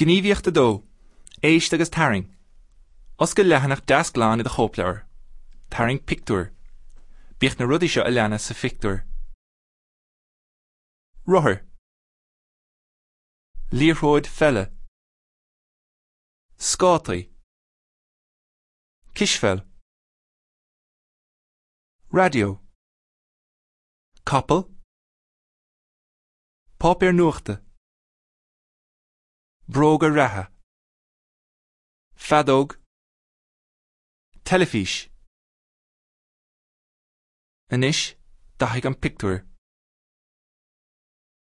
Gníomhaíocht 2, Éist agus Tarraing. Oscail leathanach deas glan i do chóipleabhar. Tarraing pictiúr. Bíodh na rudaí seo a leanas sa phictiúr. Rothar. Liathróid pheile. Scátaí. Cispheil. Raidió. Capall. Páipéar nuachta. Bróga reatha. Feadóg. Teilifís. Anois, dathaigh an pictiúr.